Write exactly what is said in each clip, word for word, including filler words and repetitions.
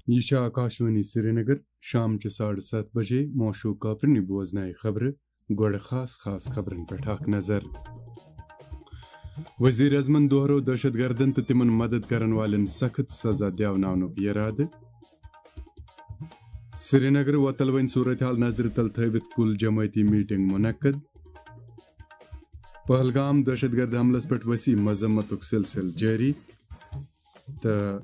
یہِ چھِ آکاشوانی سرینگر۔ شام چہِ ساڑٕ ستھ بجے موشوق کاپرنی بوزنایہِ خبرٕ۔ گۄڈٕ خاص خاص خبرن پٮ۪ٹھ اکھ نظر۔ وزیر اعظمن دوہرو دہشت گردن تہٕ تِمن مدد کرن والٮ۪ن سخت سزا دیوناونُک یرادٕ۔ سرینگر وۄتل وۄنۍ صورتحال نظرِ تل تھٲوِتھ کُل جمٲعتی میٹنگ منعقد۔ پہلگام دہشت گرد حملس پٮ۪ٹھ وسیع مذمتُک سلسلہٕ جٲری۔ تہٕ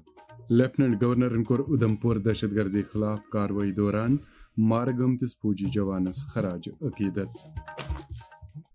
لیفٹیننٹ گورنرن کوٚر اُدھمپور دہشت گردی خلاف کاروٲیی دوران مارٕ گٲمتِس فوجی جوانس خراج عقیدت۔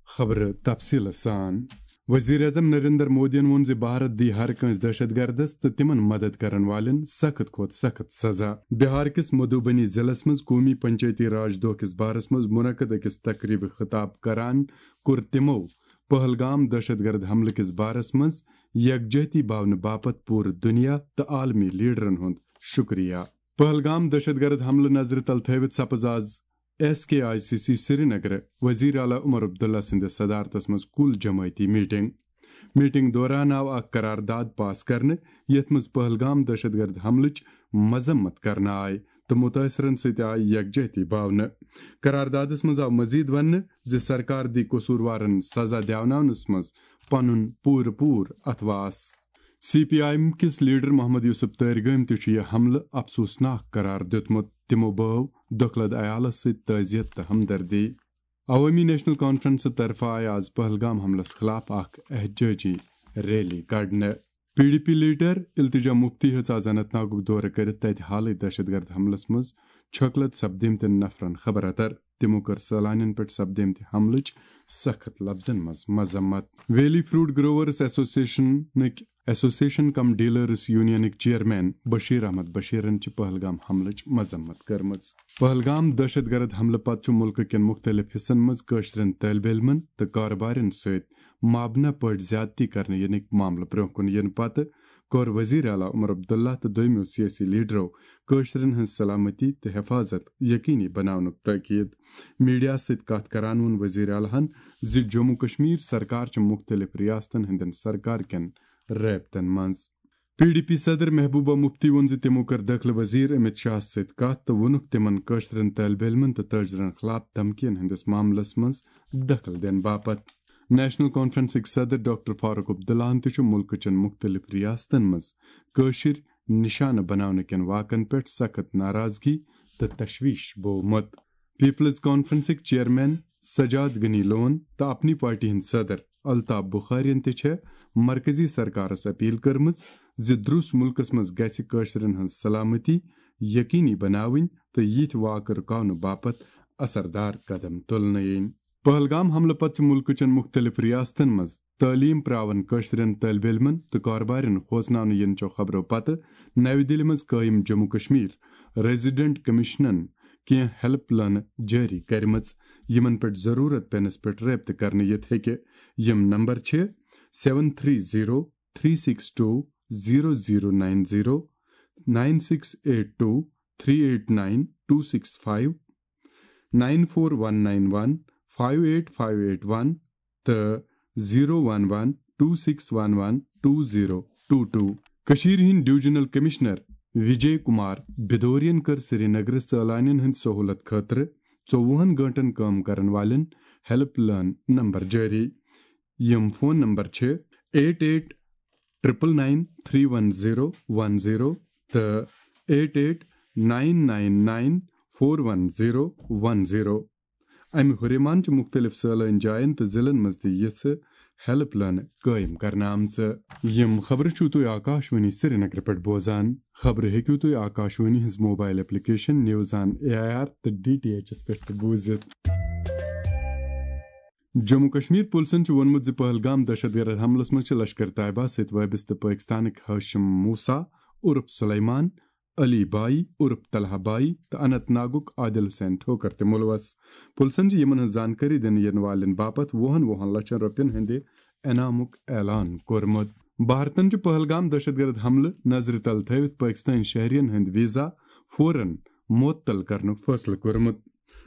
خبرٕ تفصیٖلہٕ سان۔ وزیر اعظم نریندر مودیَن ووٚن زِ بھارت دی ہر کٲنٛسہِ دہشت گردس تہٕ تِمن مدد کرن والٮ۪ن سخت کھۄتہٕ سخت سزا۔ بہار کِس مدھوبنی ضلعس منٛز قومی پنچایتی راج دۄہ کِس بارس منٛز منعقد أکِس تقریبہِ خطاب کران کوٚر تِمو پہلگام دہشت گرد حملہٕ کِس بارس منٛز یکجہتی باونہٕ باپتھ پوٗرٕ دُنیا تہٕ عالمی لیڈرن ہُنٛد شُکریہ۔ پہلگام دہشت گرد حملہٕ نظرِ تل تھٲوِتھ سپٕز آز S K I C C Srinagar وزیر اعلیٰ عمر عبداللہ سٕنٛدِس صدارتس منٛز کُل جمٲعتی میٹنگ۔ میٹنگ دوران آو اکھ قرارداد پاس کرنہٕ، یتھ منٛز پہلگام دہشت گرد حملٕچ مذمت کرنہٕ آیہِ تہٕ متٲثرن سۭتۍ آیہِ یکجہتی باونہٕ۔ قراردادس منٛز آو مزید وننہٕ زِ سرکار دی قصوٗروارن سزا دیوناونس منٛز پنُن پوٗرٕ پوٗرٕ اتھواس۔ سی پی آئی ایم کِس لیڈر محمد یوسف تٲرۍ گٲمۍ تہِ چھُ یہِ حملہٕ افسوسناک قرار دیُتمُت۔ تِمو بٲو دۄکھلد عیالس سۭتۍ تعزیت تہٕ ہمدردی۔ عوٲمی نیشنل کانفرنس طرفہٕ آیہِ آز پہلگام حملس خلاف اکھ احتجاجی ریلی کڑنہٕ۔ پی ڈی پی لیڈر التجا مفتی ہیٚژ آز اننت ناگُک دورٕ کٔرِتھ تتہِ حالٕے دہشت گرد حملس منٛز چھۄکلد سپدیمتٮ۪ن نفرن خبر اتر۔ تِمو کٔر سٲلانٮ۪ن پٮ۪ٹھ سپدیمتہِ حملٕچ سخت لفظن منٛز مذمت۔ ویلی فروٹ گروورز ایسوسیشنٕکۍ ایسوسیشن کم ڈیلرز یونینٕکۍ چیئرمین بشیر احمد بشیرن چھِ پہلگام حملٕچ مذمت کٔرمٕژ۔ پہلگام دہشت گرد حملہٕ پتہٕ چھُ مُلکہٕ کٮ۪ن مُختٔلِف حصن منٛز کٲشرٮ۪ن طٲلبہِ علمن تہٕ کارٕبارٮ۪ن سۭتۍ مابنہ پٲٹھۍ زیادتی کرنہٕ یِنٕکۍ معاملہٕ برٛونٛہہ کُن یِنہٕ پتہٕ کوٚر وزیر اعلیٰ عمر عبداللہ تہٕ دوٚیمٮ۪و سیٲسی لیڈرو کٲشرٮ۪ن ہٕنٛز سلامتی تہٕ حفاظت یقینی بناونُک تاکید۔ میڈیاہَس سۭتۍ کتھ کران ووٚن وزیر اعلیٰ ہَن زِ جموں کشمیر سرکار چھِ مُختٔلِف ریاستن ہٕنٛدٮ۪ن سرکار کٮ۪ن رٲبطن منٛز۔ پی ڈی پی صدر محبوبہ مفتی ووٚن زِ تِمو کٔر دٲخلہٕ وزیر امت شاہَس سۭتۍ کتھ تہٕ ووٚنُکھ تِمن کٲشرٮ۪ن طٲلبہِ علمن تہٕ تٲجرن خلاف دھمکین ہٕنٛدِس معاملس منٛز دخل دِنہٕ باپتھ۔ نیشنل کانفرنسٕکۍ صدر ڈاکٹر فاروق عبداللہَن تہِ چھُ مُلکہٕ چٮ۪ن مُختٔلِف ریاستن منٛز کٲشِر نشانہٕ بناونہٕ کٮ۪ن واقعن پٮ۪ٹھ سخت ناراضگی تہٕ تشویش بوومُت۔ پیپلز کانفرنسٕکۍ چیئرمین سجاد غنی لون تہٕ اپنی پارٹی ہٕنٛدۍ صدر الطاف بخارین تہِ چھےٚ مرکزی سرکارس اپیل کٔرمٕژ زِ درُس مُلکس منٛز گژھِ کٲشرٮ۪ن ہٕنٛز سلامتی یقینی بناوٕنۍ تہٕ یِتھۍ واقعہٕ رُکاونہٕ باپتھ اثردار قدم تُلنہٕ یِنۍ۔ پہلگام حملہٕ پتہٕ چھِ مُلکہٕ چٮ۪ن مُختٔلِف ریاستن منٛز تعلیٖم پراون کٲشرٮ۪ن طٲلبہِ علمن تہٕ کارٕبارٮ۪ن کھوژناونہٕ یِنہٕ چو خبرو پتہٕ نَوِ دِلہِ منٛز قٲیِم جموں کشمیر ریزیڈنٹ کمیشنن کینٛہہ ہیلپ لٲنہٕ جٲری کٔرمٕژ، یِمن پٮ۪ٹھ ضروٗرت پیٚنس پٮ۪ٹھ رٲبطہٕ کرنہٕ یِتھ ہیٚکہِ۔ یِم نمبر چھِ seven three zero three six two zero zero nine zero, nine six eight two three eight nine two six five, nine four one nine one five eight five eight one تہٕ zero one one two six one one two zero two two۔ کٔشیٖرِ ہٕنٛدۍ divisional commissioner وجے کمار بدورین کٔر سرینگرٕ سٲلانین ہٕنٛدِ سہوٗلت خٲطرٕ ژوٚوُہن گٲنٛٹن کٲم کرن والٮ۪ن ہیلپ لائن نمبر جٲری۔ یِم فون نمبر چھِ eight eight triple nine three one zero one zero تہٕ eight eight nine nine nine four one zero one zero۔ امہِ ہُریمان چھِ مُختٔلِف سٲلٲنۍ جاین تہٕ ضلعن منٛز تہِ یِژھٕ ہیلپ لائنہٕ قٲیِم کرنہٕ آمژٕ۔ یِم خبرٕ چھِو تُہۍ آکاشوانی سرینگرٕ پٮ۪ٹھ بوزان۔ خبرٕ ہیٚکِو تُہۍ آکاشوانی ہٕنٛز mobile application news on A I R تہٕ ڈی ٹی ایچ ایس پٮ۪ٹھ تہِ بوٗزِتھ۔ جموں کشمیر پُلسن چھُ ووٚنمُت زِ پہلگام دہشت گرد حملس منٛز چھِ لشکر طیبہ سۭتۍ وٲبستہٕ پٲکستانٕکۍ ہاشم موسیٰ عرف سلیمان، علی بائی عرف طلحہ بائی تہٕ اننت ناگُک عادل حسین ٹھوکر تہِ مُلوث۔ پُلسن چھِ یِمن ہٕنٛز زانکٲری دِنہٕ یِنہٕ والٮ۪ن باپتھ وُہن وُہن لچھن رۄپین ہٕنٛدِ انعامُک اعلان کوٚرمُت۔ بھارتن چھُ پہلگام دہشت گرد حملہٕ نظرِ تل تھٲوِتھ پٲکستٲنۍ شہرین ہٕنٛدۍ ویزا فوراً معطل کرنُک فٲصلہٕ کوٚرمُت۔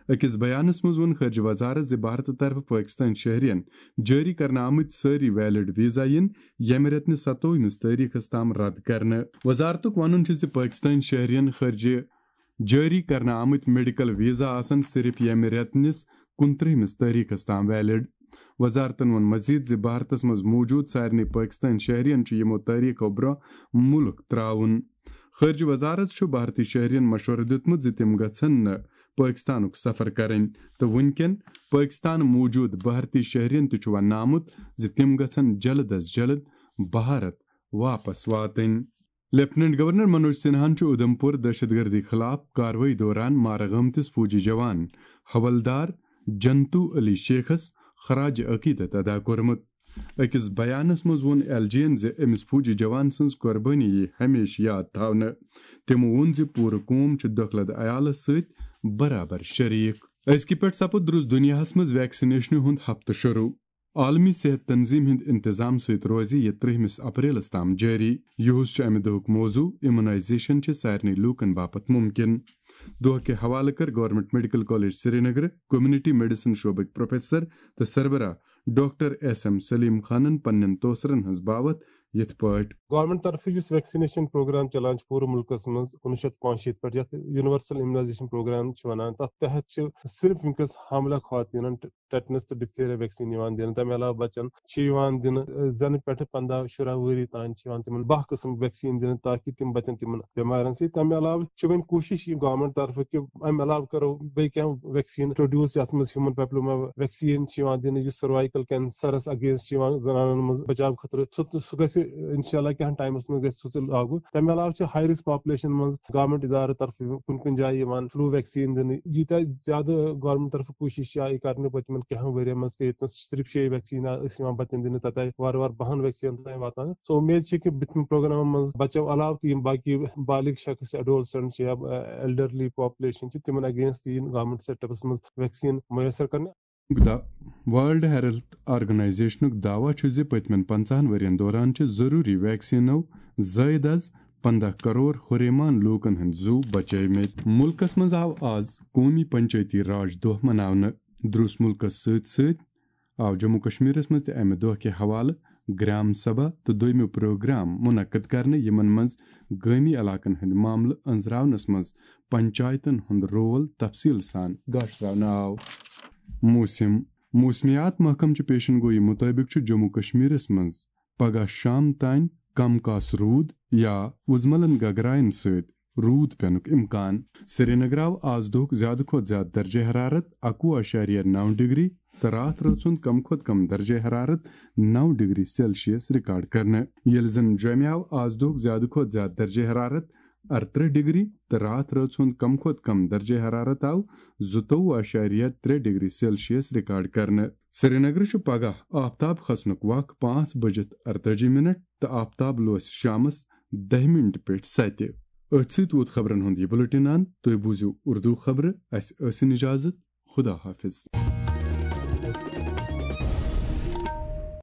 أکِس بیانَس منٛز ووٚن خارجہ وزارت زِ بھارتہٕ طرفہٕ پٲکِستٲنۍ شہرین جٲری کرنہٕ آمٕتۍ سٲری ویلڈ ویزا یِن ییٚمہِ رٮ۪تہٕ نِس ستووُہمِس تٲریخس تام رد کرنہٕ۔ وزارتُک وَنُن چھُ زِ پٲکِستٲنۍ شہرین خارجہ جٲری کرنہٕ آمٕتۍ میڈیکل ویزا آسن صرف ییٚمہِ رٮ۪تہٕ نِس کُنترٕہمِس تٲریخس تام ویلڈ۔ وزارتن ووٚن مزید زِ بھارتس منٛز موجود سارنٕے پٲکِستٲنۍ شہرین چھُ یِمو تٲریخو برونٛہہ مُلک ترٛاوُن۔ خارجہ وزارت چھُ بھارتی شہرین مشورٕ دیُتمُت زِ تِم گژھن نہٕ پٲکِستانُک سفر کرٕنۍ تہٕ وُنکٮ۪ن پٲکِستان موجود بھارتی شہرین تہِ چھُ وننہٕ آمُت زِ تِم گژھن جلد از جلد بھارت واپس واتٕنۍ۔ لیفٹیننٹ گورنر منوج سنہاہن چھُ اُدھمپور دہشت گردی خلاف کاروٲیی دوران مارٕ گٲمتِس فوجی جوان حوالدار جنتو علی شیخس خراج عقیدت ادا کوٚرمُت۔ أکِس بیانس منٛز ووٚن ایل جی ین زِ أمِس فوجی جوان سٕنٛز قۄربٲنی یِیہِ ہمیشہٕ یاد تھاونہٕ۔ تِمو ووٚن زِ پوٗرٕ قوم چھُ دۄکھلد عیالس سۭتۍ برابر شریک۔ أزکہِ پٮ۪ٹھ سپُد درُس دُنیاہس منٛز ویکسِنیشنہِ ہُنٛد ہفتہٕ شروع۔ عالمی صحت تنظیم ہٕنٛدِ انتظام سۭتۍ روزِ یہِ ترٛہمِس اپریلس تام جٲری۔ یُہُس چھُ امہِ دۄہُک موضوع، امیونائزیشن چھِ سارنٕے لوٗکن باپتھ ممکن۔ دۄہ کہِ حوالہٕ کٔر government medical college Srinagar community medicine شعبٕکۍ پروفیسر تہٕ سربراہ ڈاکٹر ایس ایم سلیم خانن پننٮ۪ن توثرن ہٕنٛز باوتھ یِتھ پٲٹھۍ۔ گورنمنٹ طرفہٕ یُس ویکسِنیشن پروگرام چلان چھُ پوٗرٕ مُلکس منٛز کُنوُہ شیٚتھ پانٛژشیٖتھ پٮ۪ٹھ، یتھ یونیورسل امیونائزیشن پروگرام چھِ ونان، تتھ تحت چھِ صرف وٕنکیٚس حاملہ خواتینن ٹیٹنس تہٕ ڈپتھیریا ویکسین یِوان دِنہٕ۔ تَمہِ علاوٕ بچن چھِ یِوان دِنہٕ، زَنہٕ پٮ۪ٹھٕ پنٛداہ شُراہ ؤری تام چھِ یِوان تِمن باہ قٕسم ویکسین دِنہٕ، تاکہِ تِم بچن تِمن بٮ۪مارٮ۪ن سۭتۍ۔ تَمہِ علاوٕ چھِ وۄنۍ کوٗشِش یہِ گورنمنٹ طرفہٕ کہِ اَمہِ علاوٕ کرو بیٚیہِ کینٛہہ ویکسین انٹروڈیوس، یَتھ منٛز ہیومن پیپلوما ویکسین چھِ یِوان دِنہٕ، یُس سروائیکل کینسرس اگینسٹ چھِ یِوان زنانن منٛز بچاو خٲطرٕ۔ سُہ تہٕ سُہ گژھِ انشاءاللہ کینٛہہ ٹایمس منٛز گژھِ سُہ تہِ لاگو۔ تَمہِ علاوٕ چھِ ہائی رسک پاپولیشن منٛز گورنمنٹ ادارٕ طرفہٕ کُنہِ کُنہِ جایہِ یِوان فلو ویکسین دِنہٕ۔ ییٖتیٛاہ زیادٕ گورنمنٹ طرفہٕ کوٗشِش چھِ آیہِ کرنہٕ پٔتمٮ۪ن کینٛہن ؤرین منٛز، کہِ ییٚتہِ نَس صرف شیٚیہِ ویکسیٖن ٲسۍ یِوان بَچَن دِنہٕ، تَتہِ آیہِ وارٕ وارٕ بَہَن ویکسیٖنَن تام واتان۔ سو اُمید چھِ کہِ بٕتھِمہِ پروگرامَن منٛز بَچو علاوٕ تہِ یِم باقی بالغ شخص چھِ، ایڈولسنٹ چھِ یا ایلڈرلی پاپولیشن چھِ، تِمن اگینسٹ تہِ یِن گورنمنٹ سیٹ اپس منٛز ویکسیٖن میسر کرنہٕ۔ دا-، ورلڈ ہیلتھ آرگنائزیشنُک دعویٰ چھُ زِ پٔتمٮ۪ن پنٛژاہن ؤرین دوران چھِ ضروٗری ویکسیٖنو زٲیِد از پنٛداہ کرور ہُریمان لوٗکن ہٕنٛدۍ زُو بچٲومٕتۍ۔ مُلکس منٛز آو آز قومی پنچایتی راج دۄہ مناونہٕ۔ درُس مُلکس سۭتۍ سۭتۍ آو جموں کشمیرس منٛز تہِ امہِ دۄہ کہِ حوالہٕ گرام سبھا تہٕ دوٚیمہِ پروگرام منعقد کرنہٕ، یِمن منٛز گٲمی علاقن ہٕنٛدۍ معاملہٕ أنٛزراونس منٛز پنچایتن ہُنٛد رول تفصیل سان گاشراونہٕ آو۔ موسم۔ موسمیات محکمہٕ چہِ پیشن گویی مُطٲبِق چھُ جموں کشمیرس منٛز پگہہ شام تام کم کاس روٗد یا وُزملن گگراین سۭتۍ روٗد پینُک امکان۔ سرینگر آو آز دۄہُک زیادٕ کھۄتہٕ زیادٕ درجہ حرارت اکوُہ اعشاریہ نو ڈگری تہٕ راتھ رٲژ ہُنٛد کم کھۄتہٕ کم درجہ حرارت نو ڈگری سیلسیس ریکارڈ کرنہٕ، ییٚلہِ زن جوٚمہِ آو آز دۄہُک زیادٕ کھۄتہٕ زیادٕ درجہ حرارت ارترٕہ ڈگری تہٕ راتھ رٲژ ہُنٛد کم کھۄتہٕ کم درجہ حرارت آو زٕتووُہ اعشاریہ ترٛےٚ ڈگری سیلسیس ریکارڈ کرنہٕ۔ سرینگرٕ چھُ پگہہ آفتاب کھسنُک وق پانٛژھ بجِتھ ارتٲجی منٹ تہٕ آفتاب لوسہِ شامس دَہہِ منٹہِ پٮ۪ٹھ ستہِ۔ أتھۍ سۭتۍ ووت خبرن ہُنٛد یہِ بُلٹن اند۔ تُہۍ بوٗزِو اردو خبرٕ۔ اسہِ ٲسِن اجازت۔ خدا حافظ۔